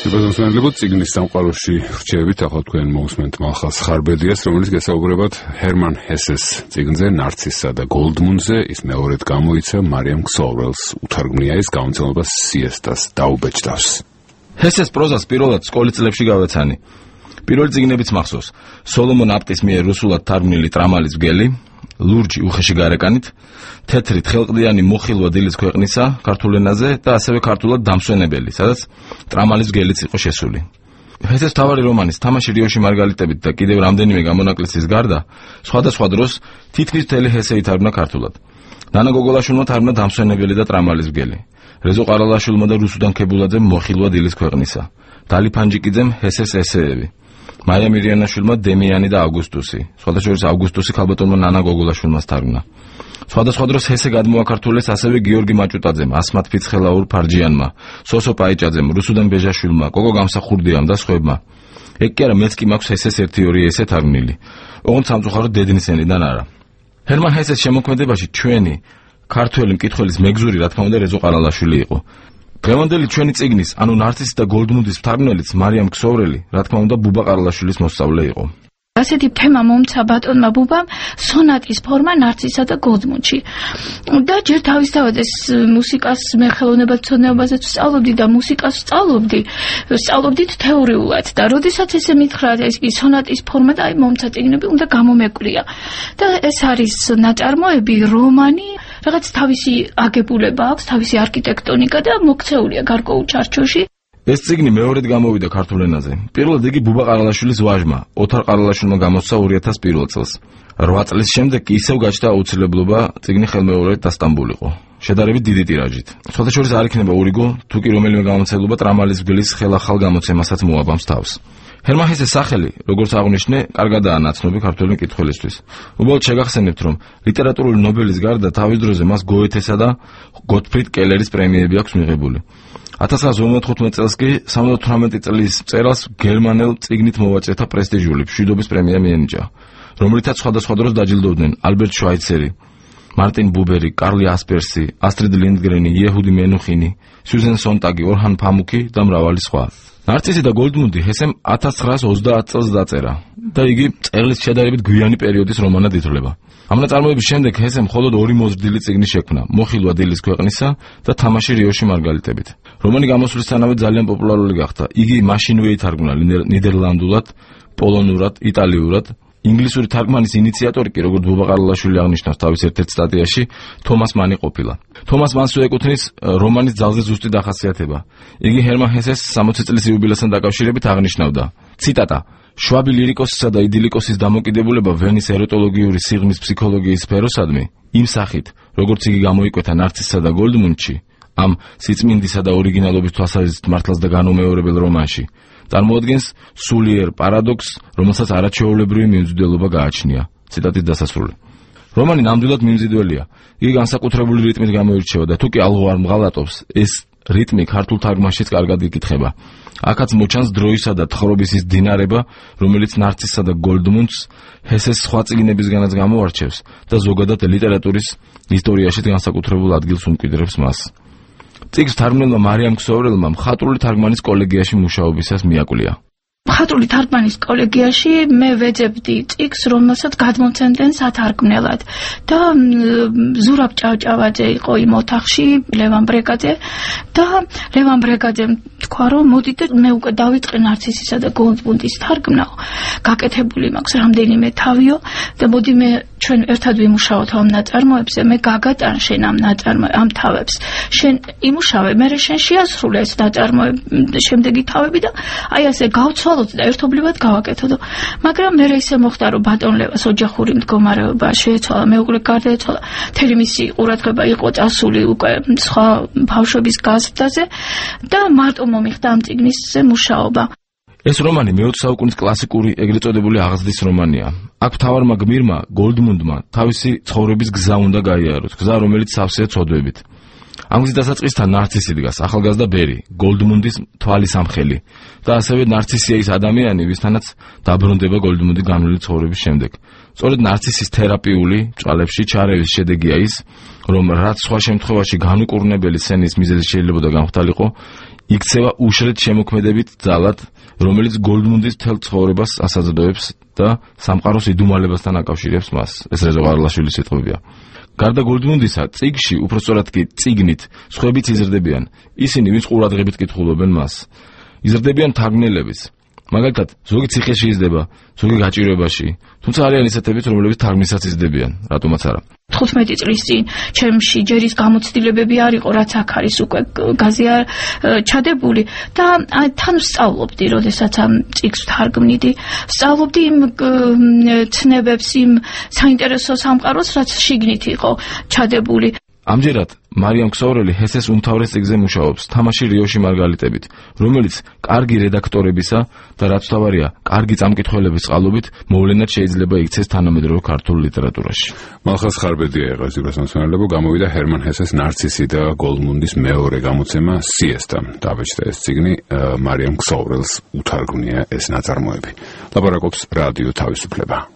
Იბაზანსმენლებო წიგნის სამყაროში რჩევით ახლა თქვენ მოусმენთ მალხაზ ხარბედიას, რომელიც გასაუბრებად ჰერმან ჰესეს წიგნზე ნარცისსა და გოლდმუნდზე, ის მეორედ გამოიცა მარიამ ქსოვრელს უთარგმნია ის გამომცემლობა სიესტას დაუბეჭდავს. ჰესეს პროზას პირველად სკოლის წლებში გავეცანი. პირველი წიგნებიც მახსოვს. სოლომონ აპტის მიერ რუსულად თარგმნილი ტრამალის მგელი, ლურჯი უხეში გარეკანით, თეთრი თხელყდიანი მოხილვა დილის ქვეყნისა ქართულ ენაზე და ასევე ქართულად დამსვენებელი, სადაც ტრამალის მგელიც იყო შესული. ჰესეს თავარი რომანის თამაში რიოში მარგალიტებით და კიდევ რამდენიმე გამონაკლისის გარდა, სხვადასხვა დროს თითქმის მთელი ჰესე ითარგმნა ქართულად. ნანა გოგოლაშვილმა თარგმნა დამსვენებელი და ტრამალის მგელი. რეზო ყარალაშვილმა და რუსუდან ქებულაძემ მოხილვა დილის ქვეყნისა. დალი ფანჯიკიძემ ჰესეს ესეები. მაია მირიანაშვილმა დემიანი და ავგუსტუსი. სხვადასხვა ავგუსტუსი ქალბატონმა ნანა გოგოლაშვილმა თარგმნა. სხვადასხვა დროს ჰესე გადმოაქართულეს ასევე გიორგი მაჭუტაძემ, ასმათ ფიცხელაურ ფარჯიანმა, სოსო პაიჭაძემ, რუსუდან ბეჟაშვილმა, კოკო გამსახურდიამ და სხვებმა. ეგ კი არა, მეც კი მაქვს ჰესეს 1-2 ესე თარგმნილი. ოღონდ სამწუხაროდ დედნისენიდან არა. ჰერმან ჰესეს შემოქმედებაში ჩვენი ქართველი მკითხველის მეგზური, რა თქმა უნდა, რეზო ყარალაშვილი იყო. დღევანდელი ჩვენი წიგნის, ანუ ნარცისი და გოლდმუნდის მთარგმნელიც მარიამ ქსოვრელი, რა თქმა უნდა, ბუბა ყარალაშვილის მოსწავლე იყო. ასეთი თემა მომცა ბატონმა ბუბამ სონატის ფორმა ნარცისსა და გოლდმუნდში. და ჯერ თავისთავად ეს მუსიკას მე ხელოვნებათმცოდნეობაზეც ვსწავლობდი და მუსიკას ვსწავლობდით თეორიულად და როდესაც ესე მითხრა ეს კი სონატის ფორმა და აი მომცა წიგნები უნდა გამომეკვლია. და ეს არის ნაწარმოები, რომანი, რაღაც თავისი აგებულება აქვს, თავისი არქიტექტონიკა და მოქცეულია გარკვეულ ჩარჩოში. ეს წიგნი მეორედ გამოვიდა ქართულ ენაზე. პირველად იგი ბუბა ყარალაშვილის ვაჟმა, ოთარ ყარალაშვილმა გამოსცა 2001 წელს. 8 წლის შემდეგ კი ისევ გაჩნდა აუცილებლობა წიგნი ხელმეორედ დასტამბულიყო. შედარებით დიდი ტირაჟით. სხვადასხვა არ იქნება ურიგო, თუ კი რომელიმე გამომცემლობა ტრამალის მგლის ხელახალ გამოცემასაც მოაბამს თავს. ჰერმან ჰესეს სახელი, როგორც აღნიშნე, კარგადაა ნაცნობი ქართველი მკითხველისთვის. უბრალოდ შეგახსენებთ, რომ ლიტერატურული ნობელის გარდა თავის დროზე მას გოეთესა და გოტფრიდ კელერის პრემიები აქვს მიღებული. 1955 წელს კი 78 წლის მწერალს გერმანელ წიგნით მოვაწერთა პრესტიჟული მშვიდობის პრემია მიენიჭა, რომლითაც სხვადასხვა დროს დაჯილდოვდნენ ალბერტ შვაიცერი, მარტინ ბუბერი, კარლი ასპერსი, ასტრიდ ლინდგრენი, იეჰუდი მენუხინი, სიუზენ სონტაგი, ორჰან ფამუკი და მრავალი სხვა. ნარცისი და გოლდმუნდი ჰესემ 1930 წელს დაწერა და იგი მწერლის შედარებით გვიანი პერიოდის რომანად ითვლება. ამ ნაწარმოების შემდეგ ჰესემ მხოლოდ 2 მოზრდილი წიგნი შექმნა, მოხილვა დილის ქვეყნისა და თამაში რიოში მარგალიტებით. რომანი გამოსვლისთანავე ძალიან პოპულარული გახდა. იგი მაშინვე ითარგმნა ნიდერლანდულად, პოლონურად, იტალიურად. ინგლისური თარგმანის ინიციატორი კი, როგორც ბუბა ყარალაშვილი აღნიშნავს თავის ერთ-ერთ სტატიაში, თომას მანი ყოფილა. თომას მანს ეკუთვნის რომანის ძალზე ზუსტი დახასიათება. იგი ჰერმან ჰესეს 60 წლის იუბილესთან დაკავშირებით აღნიშნავდა. ციტატა: შვაბი ლირიკოსისა და იდილიკოსის დამოკიდებულება ვენის ეროტოლოგიური სიღრმის ფსიქოლოგიის სფეროსადმი, იმ სახით, როგორც იგი გამოიკვეთა ნარცისსა და გოლდმუნდში, ამ სიწმინდისა და ორიგინალობის თვალსაზრისით მართლაც და განუმეორებელ რომანში, წარმოადგენს სულიერ პარადოქსს, რომელსაც არაჩვეულებრივი მიმზიდველობა გააჩნია. ციტატის დასასრული. რომანი ნამდვილად მიმზიდველია. იგი განსაკუთრებული რიტმით გამოირჩევა და თუ კი ალღო არ მღალატობს, ეს რიტმი ქართულ თარგმანშიც კარგად იკითხება. აქაც მოჩანს დროისა და თხრობის ის დინარება, რომელიც ნარცისსა და გოლდმუნდს ჰესეს სხვა წიგნებისგანაც გამოარჩევს და ზოგადად ლიტერატურის ისტორიაში განსაკუთრებულ ადგილს უმკვიდრებს მას. წიგნს თარგმნელმა მარიამ ქსოვრელმა მხატვრული თარგმანის კოლეგიაში მუშაობისას მიაკვლია. მხატვრული თარგმანის კოლეგიაში მე ვეძებდი წიგნს, რომელსაც გადმომცემდნენ სათარგმნელად და ზურაბ ჭავჭავაძე იყო იმ ოთახში, ლევან ბრეგაძე და ლევან ბრეგაძემ თქვა, რომ მოდი და მე უკვე დავიწყე ნარცისისა და გოლდმუნდის თარგმნა, გაკეთებული მაქვს რამდენიმე თავიო და მოდი მე ჩვენ ერთად ვიმუშაოთ ამ ნაწარმოებზე, მე გაგატან შენ ამ თავებს, შენ იმუშავე, მე შენ შეასრულე ეს ნაწარმოები, შემდეგი თავები და აი ასე გავცვალოთ და ერთობლივად გავაკეთოთ. მაგრამ მე ისე მოხდა, რომ ბატონ ლევას ოჯახური მდგომარეობა შეეცვალა, მეუღლე გარდაეცვალა, მთელი მისი ყურადღება იყო წასული უკვე სხვა ბავშვების გაზრდაზე და მარტო მომიხდა ამ წიგნისზე მუშაობა. ეს რომანი მე-20 საუკუნის კლასიკური ეგრეთ წოდებული აღზრდის რომანია. აქ მთავარმა გმირმა გოლდმუნდმა თავისი ცხოვრების გზა უნდა გაიაროს, გზა რომელიც სავსეა ცოდვებით. ამ გზის დასაწყისთან ნარცისი დგას, ახალგაზრდა ბერი, გოლდმუნდის თვალის ამხელი და ასევე ნარცისია ის ადამიანი, ვისთანაც დაბრუნდება გოლდმუნდი განვლილი ცხოვრების შემდეგ. სწორედ ნარცისის თერაპიული ჭალებში ჩარევის შედეგია ის, რომ რაც სხვა შემთხვევაში განუკურნებელი სცენის მიზეზი შეიძლებოდა გამხდარიყო, იქცევა უშრეთ შემოქმედებით ძალად, რომელიც გოლდმუნდის მთელ ცხოვრებას ასაძლებებს და სამყაროს იდუმალებასთან აკავშირებს მას. ეს რეზო ყარლაშვილის სიტყვებია. გარდა გოლდმუნდისა, წიგნში, უпростоრად კი წიგნით, სხვაებიც იზრდებიან. ისინი, ვინც ყურადღებით კითხულობენ მას. იზრდებიან თარგმნელების. მაგალითად, ზოგი ციხეში იზრდება, ზოგი გაჭირვებაში, თუმცა არიან ისეთებიც, რომლებიც თარგმნისაც იზრდებიან, რატომაც არა. 15 წლის წინ ჩემში ჯერის გამოცდილებები არ იყო, რაც აქ არის უკვე გაზია ჩადებული და თან ვსწავლობდი, როდესაც ამ წიგნს ვთარგმნიდი, ვსწავლობდი იმ ცნებებს, იმ საინტერესო სამყაროს, რაც შიგნით იყო ჩადებული. ამჯერად მარიამ ქსოვრელი ჰესეს უმთავრეს წიგნზე მუშაობს, თამაში რიოში მარგალიტებით, რომელიც კარგი რედაქტორებისა და რაც თავარია, კარგი წამკითხველების წყალობით მოვლენად შეიძლება იქცეს თანამედროვე ქართულ ლიტერატურაში. მალხაზ ხარბედია եղა ზურას მასწავლებლო, გამოვიდა ჰერმან ჰესეს ნარცისი და გოლდმუნდის მეორე გამოცემა სიესტა. დაბეჭდა ეს წიგნი, მარიამ ქსოვრელს უთარგმნია ეს ნაწარმოები. ლაპარაკობს რადიო თავისუფლება.